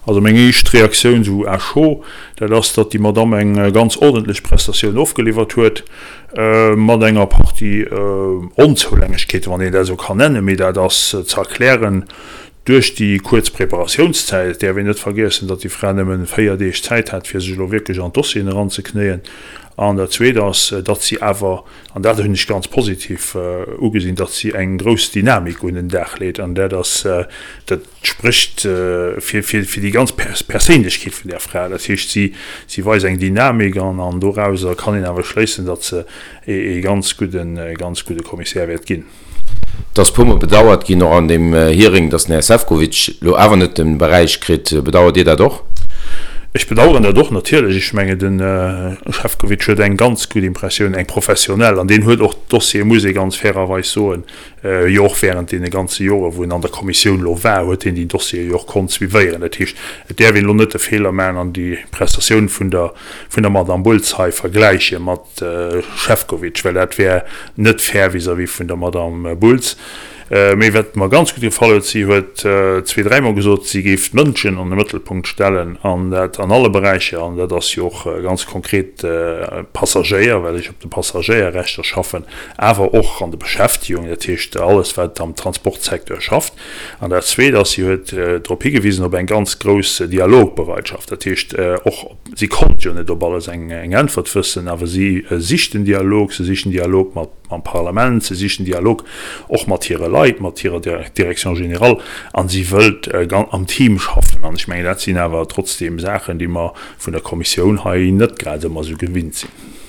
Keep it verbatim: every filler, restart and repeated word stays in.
Also meng éischt Reaktioun esou à chaud, dat ass, datt déi Madamm eng ganz ordentlech Prestatioun ofgeliwwert huet, mat enger Partie Onzoulängegkeeten, wann een dat esou kann nennen, mee dat ass ze erklären duerch déi kuerz Preparatiounszäit. Et däerf een net vergiessen, datt déi Fra nëmmen véier Deeg Zäit hat, fir sech elo wierklech an d'Dossieren eranzeknéien. An dat Zweet ass, datt si awer, an dat hunn ech ganz positiv ugesinn, datt si eng grouss Dynamik un den Dag leet. An dat ass, dat sprécht fir déi ganz Perséinlechkeet vun där Fra. Dat heescht, si, si weist eng Dynamik an an dorauser kann een awer schléissen, datt se ee ganz gudden, e ganz gudde Kommissär wäert ginn. Et ass puermol bedauert ginn, och an deem Hearing, datt den Här Sefcovic elo awer net de Beräich kritt. Bedauert Dir dat och? Ech bedauern dat och natierlech. Ech mengen, de Sefcovic huet eng ganz gutt Impressioun, eng professionell, an deen huet och d'Dossiere, muss ee ganz fairerweis soen, jo och während deene ganze Joren, wou en an der Kommissioun elo war, huet hien déi Dossiere jo och konnt suivéieren. Dat heescht, et däerf een elo net de Feeler maachen an déi Prestatioun vun der vun der Madame Bulc hei vergläiche mat Sefcovic, well dat wär net fair vis-à-vis vun der Madame Bulc. Mee wat mer ganz gutt gefall huet, si huet zwee, dräimol gesot, si géif d'Mënschen an de Mëttelpunkt stellen, an dat an alle Beräicher. An dat ass jo och ganz konkret d'Passagéier, well ech op de Passagéierrechter schaffen, awer och an der Beschäftigung, dat heescht alles, wat am Transportsecteur schafft. An dat Zweet ass, si huet drop higewisen op eng ganz grouss Dialogbereitschaft. Dat heescht och, si konnt jo net op alles eng Äntwert wëssen, awer si sicht den Dialog, se sicht den Dialog mat mam Parlament, se sicht den Dialog och mat hire Leit, mat hirer Direction générale a si wëllt am Team schaffen. An ech mengen, dat sinn awer trotzdeem Saachen, déi mer vun der Kommissioun hei net grad ëmmer esou gewinnt sinn.